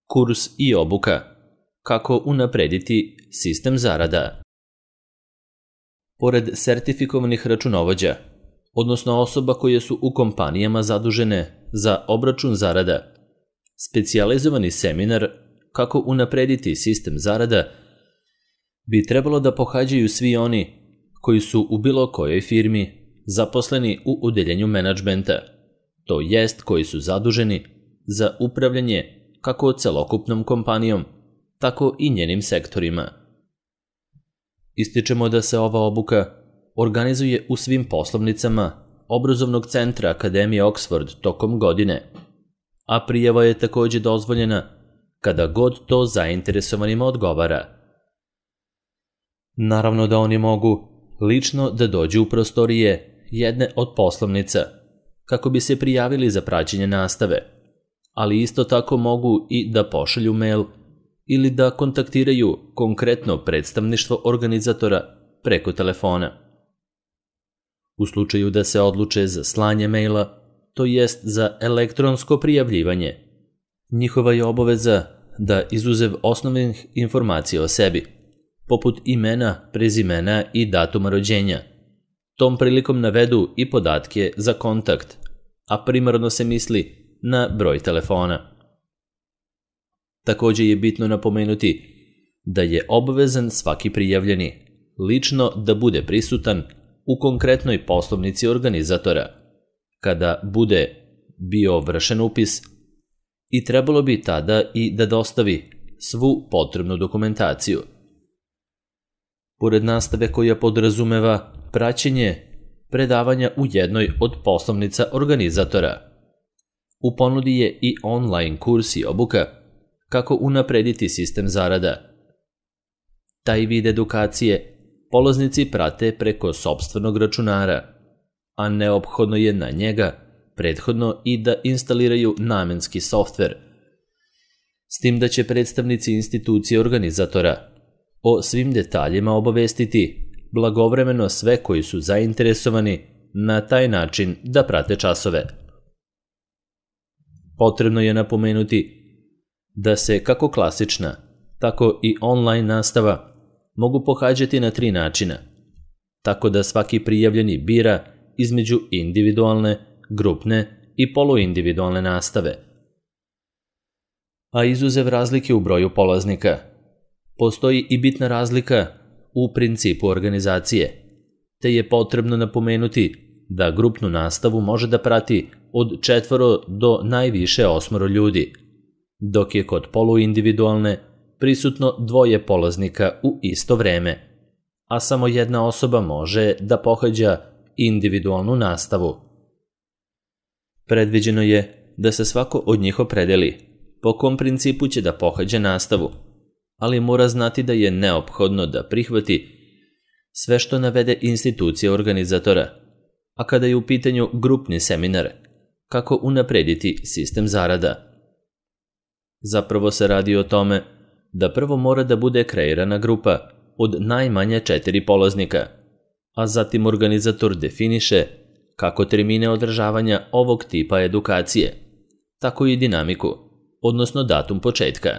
Kurs i obuka. Kako unaprediti sistem zarada. Pored sertifikovanih računovođa, odnosno osoba koje su u kompanijama zadužene za obračun zarada, specijalizovani seminar Kako unaprediti sistem zarada bi trebalo da pohađaju svi oni koji su u bilo kojoj firmi zaposleni u odeljenju menadžmenta, to jest koji su zaduženi za upravljanje kako celokupnom kompanijom, tako i njenim sektorima. Ističemo da se ova obuka organizuje u svim poslovnicama obrazovnog centra Akademije Oxford tokom godine, a prijava je takođe dozvoljena kada god to zainteresovanima odgovara. Naravno da oni mogu lično da dođu u prostorije jedne od poslovnica kako bi se prijavili za praćenje nastave, ali isto tako mogu i da pošalju mail ili da kontaktiraju konkretno predstavništvo organizatora preko telefona. U slučaju da se odluče za slanje maila, to jest za elektronsko prijavljivanje, njihova je obaveza da izuzev osnovnih informacija o sebi, poput imena, prezimena i datuma rođenja, tom prilikom navedu i podatke za kontakt, a primarno se misli na broj telefona. Takođe je bitno napomenuti da je obavezan svaki prijavljeni lično da bude prisutan u konkretnoj poslovnici organizatora kada bude bio vršen upis i trebalo bi tada i da dostavi svu potrebnu dokumentaciju. Pored nastave koja podrazumeva praćenje predavanja u jednoj od poslovnica organizatora, u ponudi je i online kurs i obuka Kako unaprediti sistem zarada. Taj vid edukacije polaznici prate preko sopstvenog računara, a neophodno je na njega prethodno i da instaliraju namenski softver, s tim da će predstavnici institucije organizatora o svim detaljima obavestiti blagovremeno sve koji su zainteresovani na taj način da prate časove. Potrebno je napomenuti da se kako klasična, tako i online nastava mogu pohađati na 3 načina, tako da svaki prijavljeni bira između individualne, grupne i poluindividualne nastave. A izuzev razlike u broju polaznika, postoji i bitna razlika u principu organizacije, te je potrebno napomenuti da grupnu nastavu može da prati od 4 do najviše 8 ljudi, dok je kod poluindividualne prisutno 2 polaznika u isto vreme, a samo jedna osoba može da pohađa individualnu nastavu. Predviđeno je da se svako od njih opredeli po kom principu će da pohađa nastavu, ali mora znati da je neophodno da prihvati sve što navede institucija organizatora, a kada je u pitanju grupni seminar Kako unaprediti sistem zarada. Zapravo se radi o tome da prvo mora da bude kreirana grupa od najmanje 4 polaznika, a zatim organizator definiše kako termine održavanja ovog tipa edukacije, tako i dinamiku, odnosno datum početka.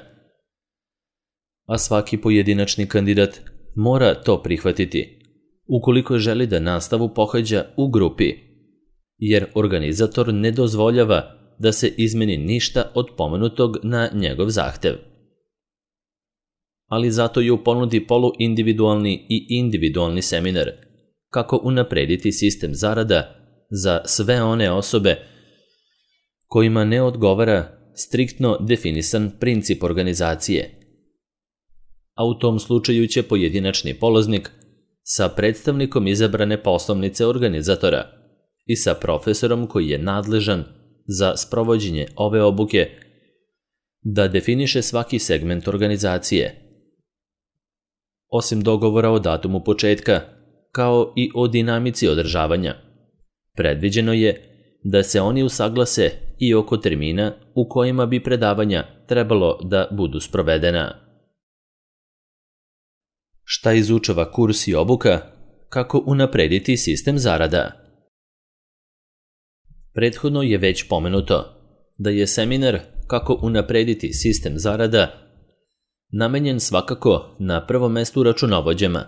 A svaki pojedinačni kandidat mora to prihvatiti ukoliko želi da nastavu pohađa u grupi, jer organizator ne dozvoljava da se izmeni ništa od pomenutog na njegov zahtev. Ali zato je u ponudi poluindividualni i individualni seminar Kako unaprediti sistem zarada za sve one osobe kojima ne odgovara striktno definisan princip organizacije. A u tom slučaju će pojedinačni polaznik sa predstavnikom izabrane poslovnice organizatora i sa profesorom koji je nadležan za sprovođenje ove obuke da definiše svaki segment organizacije. Osim dogovora o datumu početka, kao i o dinamici održavanja, predviđeno je da se oni usaglase i oko termina u kojima bi predavanja trebalo da budu sprovedena. Šta izučava kurs i obuka Kako unaprediti sistem zarada? Prethodno je već pomenuto da je seminar kako unaprediti sistem zarada namenjen svakako na prvom mestu računovođama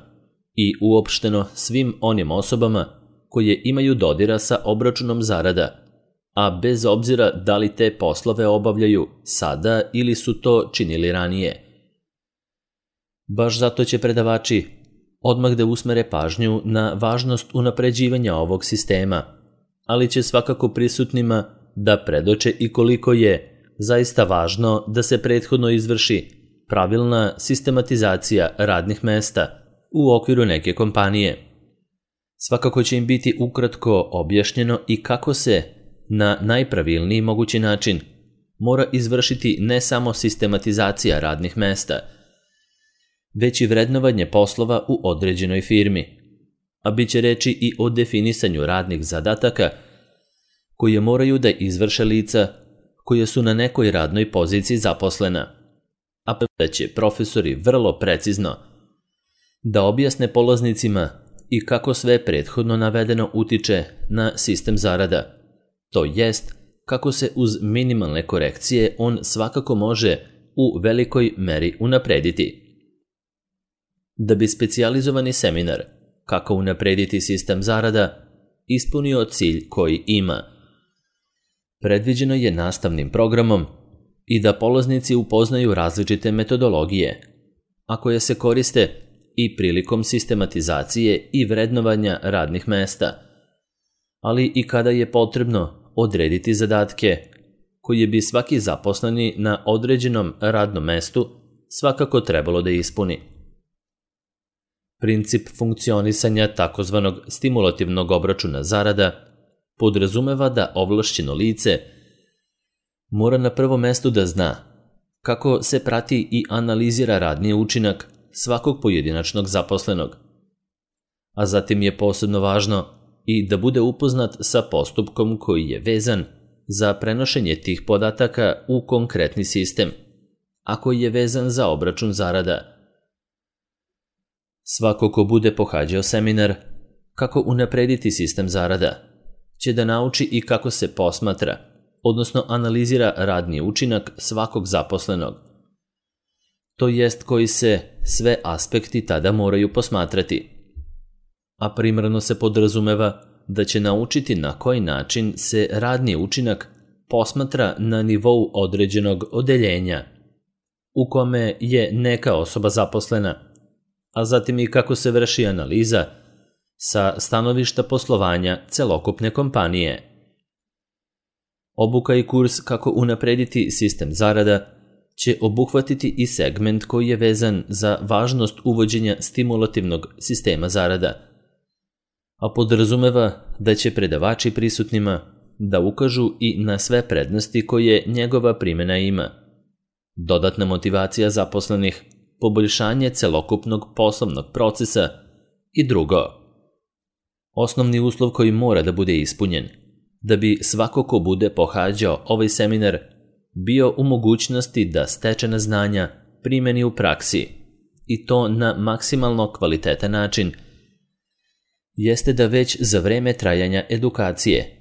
i uopšteno svim onim osobama koje imaju dodira sa obračunom zarada, a bez obzira da li te poslove obavljaju sada ili su to činili ranije. Baš zato će predavači odmah da usmere pažnju na važnost unapređivanja ovog sistema, ali će svakako prisutnima da predoče i koliko je zaista važno da se prethodno izvrši pravilna sistematizacija radnih mesta u okviru neke kompanije. Svakako će im biti ukratko objašnjeno i kako se na najpravilniji mogući način mora izvršiti ne samo sistematizacija radnih mesta, već i vrednovanje poslova u određenoj firmi, a bit će reči i o definisanju radnih zadataka koje moraju da izvrše lica koje su na nekoj radnoj poziciji zaposlena, a da će profesori vrlo precizno da objasne polaznicima i kako sve prethodno navedeno utiče na sistem zarada, to jest kako se uz minimalne korekcije on svakako može u velikoj meri unaprediti. Da bi specijalizovani seminar kako unaprediti sistem zarada ispunio cilj koji ima, predviđeno je nastavnim programom i da polaznici upoznaju različite metodologije, a koje se koriste i prilikom sistematizacije i vrednovanja radnih mesta, ali i kada je potrebno odrediti zadatke koje bi svaki zaposleni na određenom radnom mestu svakako trebalo da ispuni. Princip funkcionisanja takozvanog stimulativnog obračuna zarada podrazumeva da ovlašćeno lice mora na prvom mestu da zna kako se prati i analizira radni učinak svakog pojedinačnog zaposlenog, a zatim je posebno važno i da bude upoznat sa postupkom koji je vezan za prenošenje tih podataka u konkretni sistem, a koji je vezan za obračun zarada. Svako ko bude pohađao seminar kako unaprediti sistem zarada će da nauči i kako se posmatra, odnosno analizira radni učinak svakog zaposlenog. To jest koji se sve aspekti tada moraju posmatrati. A primarno se podrazumeva da će naučiti na koji način se radni učinak posmatra na nivou određenog odeljenja u kome je neka osoba zaposlena, a zatim i kako se vrši analiza sa stanovišta poslovanja celokupne kompanije. Obuka i kurs kako unaprediti sistem zarada će obuhvatiti i segment koji je vezan za važnost uvođenja stimulativnog sistema zarada, a podrazumeva da će predavači prisutnima da ukažu i na sve prednosti koje njegova primjena ima. Dodatna motivacija zaposlenih, poboljšanje celokupnog poslovnog procesa i drugo. Osnovni uslov koji mora da bude ispunjen da bi svako ko bude pohađao ovaj seminar bio u mogućnosti da stečena znanja primeni u praksi i to na maksimalno kvalitetan način, jeste da već za vreme trajanja edukacije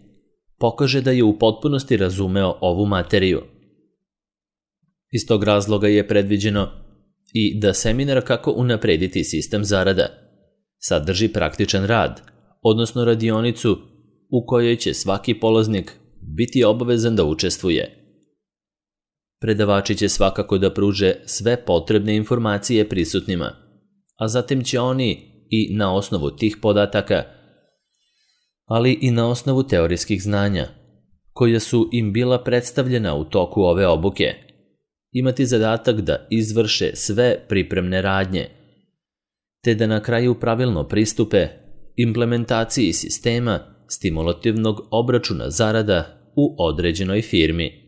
pokaže da je u potpunosti razumeo ovu materiju. Iz tog razloga je predviđeno i da seminar kako unaprediti sistem zarada sadrži praktičan rad, odnosno radionicu u kojoj će svaki polaznik biti obavezan da učestvuje. Predavači će svakako da pruže sve potrebne informacije prisutnima, a zatim će oni i na osnovu tih podataka, ali i na osnovu teorijskih znanja, koja su im bila predstavljena u toku ove obuke, imati zadatak da izvrše sve pripremne radnje, te da na kraju pravilno pristupe implementaciji sistema stimulativnog obračuna zarada u određenoj firmi.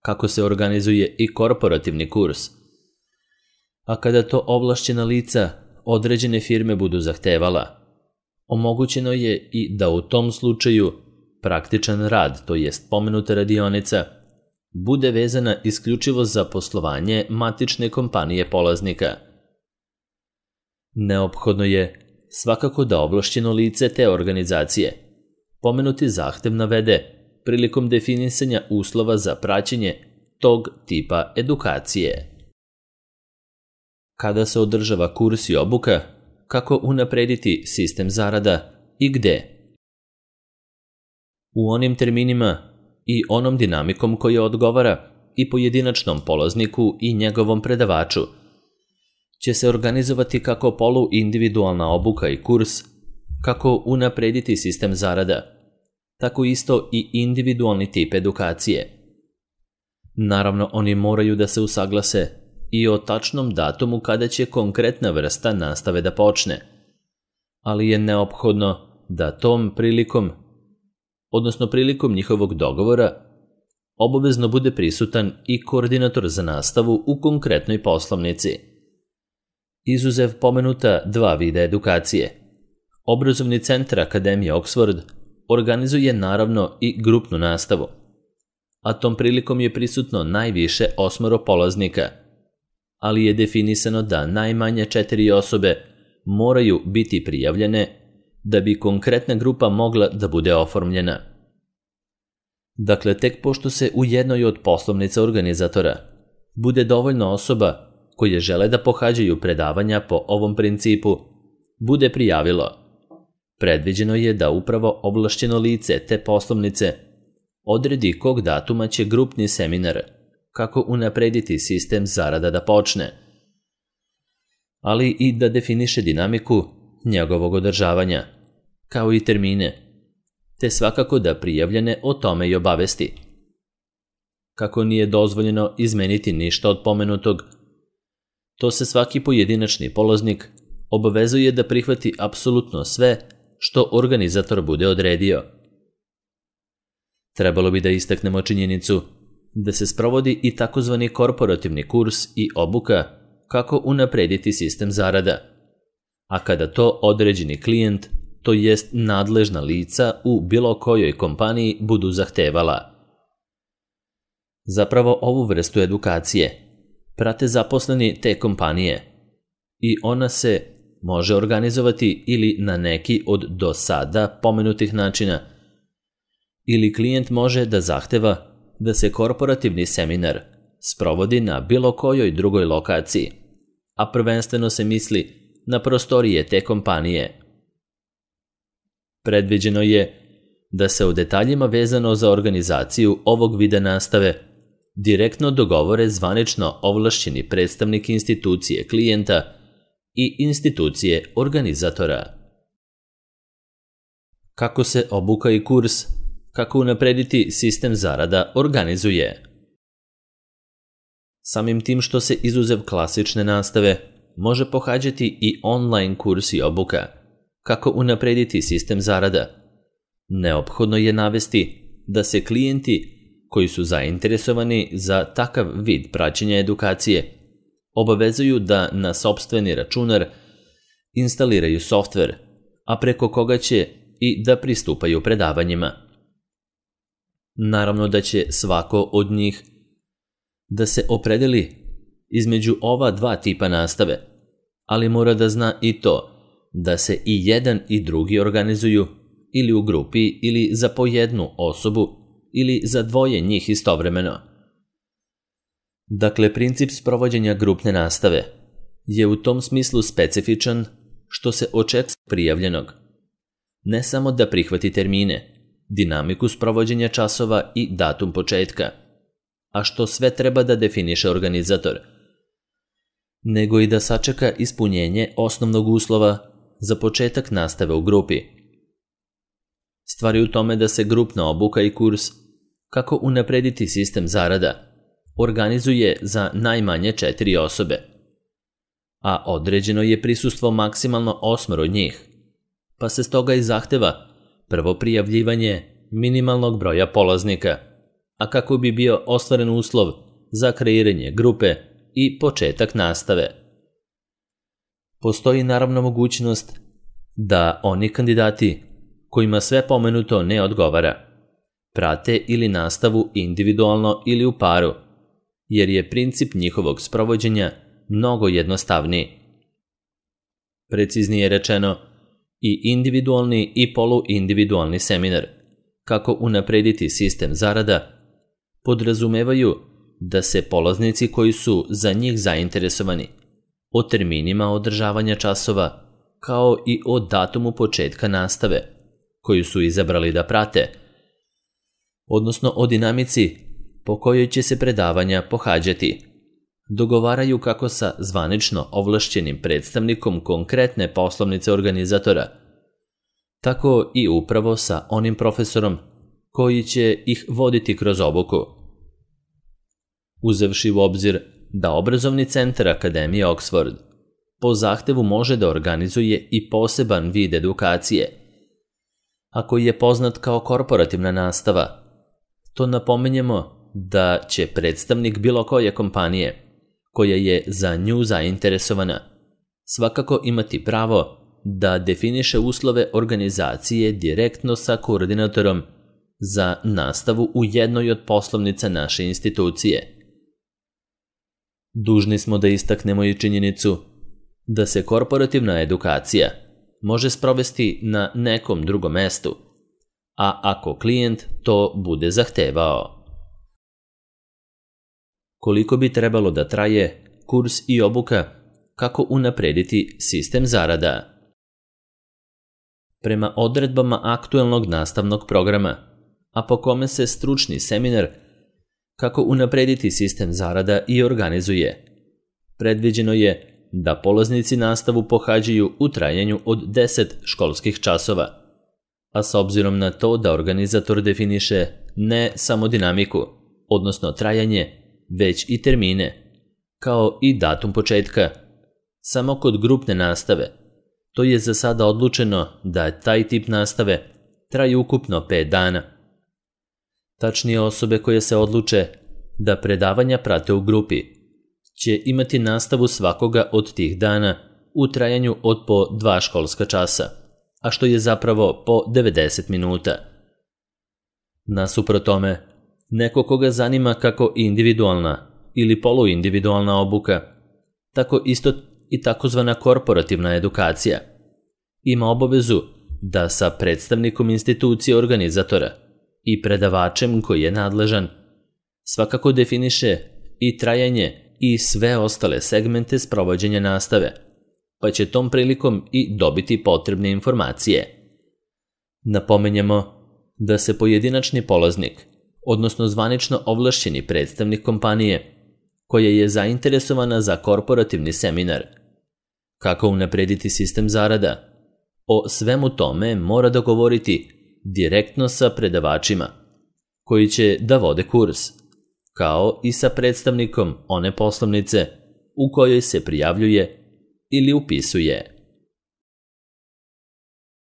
Kako se organizuje i korporativni kurs, a kada to ovlašćena lica određene firme budu zahtevala, omogućeno je i da u tom slučaju praktičan rad, to jest pomenuta radionica, bude vezana isključivo za poslovanje matične kompanije polaznika. Neophodno je svakako da ovlašćeno lice te organizacije pomenuti zahtev navede prilikom definisanja uslova za praćenje tog tipa edukacije. Kada se održava kurs i obuka, kako unaprediti sistem zarada i gde? U onim terminima i onom dinamikom koja odgovara i pojedinačnom polazniku i njegovom predavaču će se organizovati kako poluindividualna obuka i kurs, kako unaprediti sistem zarada, tako isto i individualni tip edukacije. Naravno, oni moraju da se usaglase i o tačnom datumu kada će konkretna vrsta nastave da počne, ali je neophodno da tom prilikom, odnosno prilikom njihovog dogovora, obavezno bude prisutan i koordinator za nastavu u konkretnoj poslovnici. Izuzev pomenuta dva vida edukacije, Obrazovni centar Akademije Oxford organizuje naravno i grupnu nastavu, a tom prilikom je prisutno najviše 8 polaznika, ali je definisano da najmanje 4 osobe moraju biti prijavljene da bi konkretna grupa mogla da bude oformljena. Dakle, tek pošto se u jednoj od poslovnica organizatora bude dovoljno osoba koje žele da pohađaju predavanja po ovom principu, bude prijavilo, predviđeno je da upravo ovlašćeno lice te poslovnice odredi kog datuma će grupni seminar, kako unaprediti sistem zarada da počne, ali i da definiše dinamiku njegovog održavanja, kao i termine, te svakako da prijavljene o tome i obavesti. Kako nije dozvoljeno izmeniti ništa od pomenutog, to se svaki pojedinačni polaznik obavezuje da prihvati apsolutno sve što organizator bude odredio. Trebalo bi da istaknemo činjenicu da se sprovodi i takozvani korporativni kurs i obuka kako unaprediti sistem zarada, a kada to određeni klijent, to jest nadležna lica u bilo kojoj kompaniji budu zahtevala. Zapravo ovu vrstu edukacije prate zaposleni te kompanije i ona se može organizovati ili na neki od do sada pomenutih načina, ili klijent može da zahteva da se korporativni seminar sprovodi na bilo kojoj drugoj lokaciji, a prvenstveno se misli na prostorije te kompanije. Predviđeno je da se o detaljima vezano za organizaciju ovog vida nastave direktno dogovore zvanično ovlašćeni predstavnik institucije klijenta i institucije organizatora. Kako se obuka i kurs, kako unaprediti sistem zarada organizuje? Samim tim što se izuzev klasične nastave može pohađati i online kurs i obuka, kako unaprediti sistem zarada, neophodno je navesti da se klijenti koji su zainteresovani za takav vid praćenja edukacije obavezuju da na sopstveni računar instaliraju softver, a preko koga će i da pristupaju predavanjima. Naravno da će svako od njih da se opredeli između ova dva tipa nastave, ali mora da zna i to da se i jedan i drugi organizuju ili u grupi ili za po jednu osobu ili za dvoje njih istovremeno. Dakle, princip sprovođenja grupne nastave je u tom smislu specifičan što se očekuje prijavljenog ne samo da prihvati termine, dinamiku sprovođenja časova i datum početka, a što sve treba da definiše organizator, nego i da sačeka ispunjenje osnovnog uslova za početak nastave u grupi. Stvar je u tome da se grupna obuka i kurs kako unaprediti sistem zarada organizuje za najmanje 4 osobe, a određeno je prisustvo maksimalno 8 od njih, pa se stoga i zahteva prvo prijavljivanje minimalnog broja polaznika, a kako bi bio ostvaren uslov za kreiranje grupe i početak nastave. Postoji naravno mogućnost da oni kandidati kojima sve pomenuto ne odgovara prate ili nastavu individualno ili u paru, jer je princip njihovog sprovođenja mnogo jednostavniji. Preciznije rečeno, i individualni i poluindividualni seminar kako unaprediti sistem zarada podrazumevaju da se polaznici koji su za njih zainteresovani o terminima održavanja časova kao i o datumu početka nastave koju su izabrali da prate, odnosno o dinamici po kojoj će se predavanja pohađati, dogovaraju kako sa zvanično ovlašćenim predstavnikom konkretne poslovnice organizatora, tako i upravo sa onim profesorom koji će ih voditi kroz obuku. Uzevši u obzir da obrazovni centar Akademije Oxford po zahtevu može da organizuje i poseban vid edukacije, a koji je poznat kao korporativna nastava, to napominjemo da će predstavnik bilo koje kompanije koja je za nju zainteresovana svakako imati pravo da definiše uslove organizacije direktno sa koordinatorom za nastavu u jednoj od poslovnica naše institucije. Dužni smo da istaknemo i činjenicu da se korporativna edukacija može sprovesti na nekom drugom mestu, a ako klijent to bude zahtevao. Koliko bi trebalo da traje kurs i obuka kako unaprediti sistem zarada? Prema odredbama aktuelnog nastavnog programa, a po kome se stručni seminar kako unaprediti sistem zarada i organizuje, predviđeno je da polaznici nastavu pohađaju u trajanju od 10 školskih časova, a s obzirom na to da organizator definiše ne samo dinamiku, odnosno trajanje, već i termine, kao i datum početka, samo kod grupne nastave, to je za sada odlučeno da taj tip nastave traje ukupno 5 dana. Tačnije, osobe koje se odluče da predavanja prate u grupi će imati nastavu svakoga od tih dana u trajanju od po 2 školska časa, a što je zapravo po 90 minuta. Nasuprot tome, neko koga zanima kako individualna ili poluindividualna obuka, tako isto i takozvana korporativna edukacija, ima obavezu da sa predstavnikom institucije organizatora i predavačem koji je nadležan svakako definiše i trajanje i sve ostale segmente sprovođenja nastave, pa će tom prilikom i dobiti potrebne informacije. Napomenjemo da se pojedinačni polaznik, odnosno zvanično ovlašćeni predstavnik kompanije koja je zainteresovana za korporativni seminar, kako unaprediti sistem zarada, o svemu tome mora dogovoriti direktno sa predavačima koji će da vode kurs, kao i sa predstavnikom one poslovnice u kojoj se prijavljuje ili upisuje.